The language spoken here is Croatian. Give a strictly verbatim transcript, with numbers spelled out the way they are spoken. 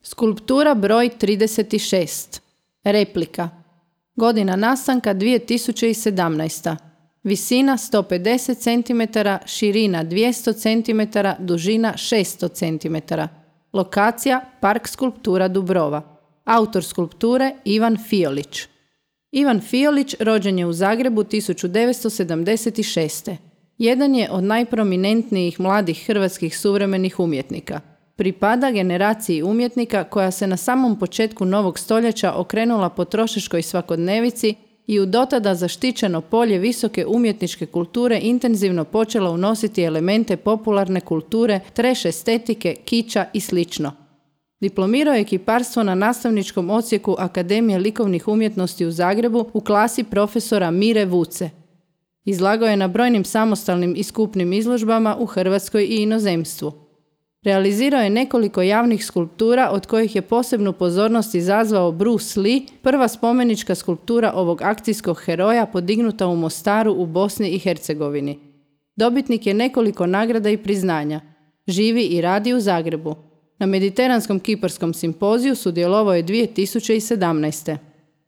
Skulptura broj trideset šest. Replika. Godina nastanka dvije tisuće sedamnaesta. Visina sto pedeset centimetara, širina dvjesto centimetara, dužina šesto centimetara. Lokacija Park skulptura Dubrova. Autor skulpture Ivan Fiolić. Ivan Fiolić rođen je u Zagrebu tisuću devetsto sedamdeset šeste. Jedan je od najprominentnijih mladih hrvatskih suvremenih umjetnika. Pripada generaciji umjetnika koja se na samom početku novog stoljeća okrenula potrošačkoj svakodnevici i u dotada zaštićeno polje visoke umjetničke kulture intenzivno počela unositi elemente popularne kulture, trash estetike, kiča i slično. Diplomirao je kiparstvo na nastavničkom odsjeku Akademije likovnih umjetnosti u Zagrebu u klasi profesora Mire Vuce. Izlagao je na brojnim samostalnim i skupnim izložbama u Hrvatskoj i inozemstvu. Realizirao je nekoliko javnih skulptura od kojih je posebnu pozornost izazvao Bruce Lee, prva spomenička skulptura ovog akcijskog heroja podignuta u Mostaru u Bosni i Hercegovini. Dobitnik je nekoliko nagrada i priznanja. Živi i radi u Zagrebu. Na Mediteranskom kiparskom simpoziju sudjelovao je dvije tisuće sedamnaeste.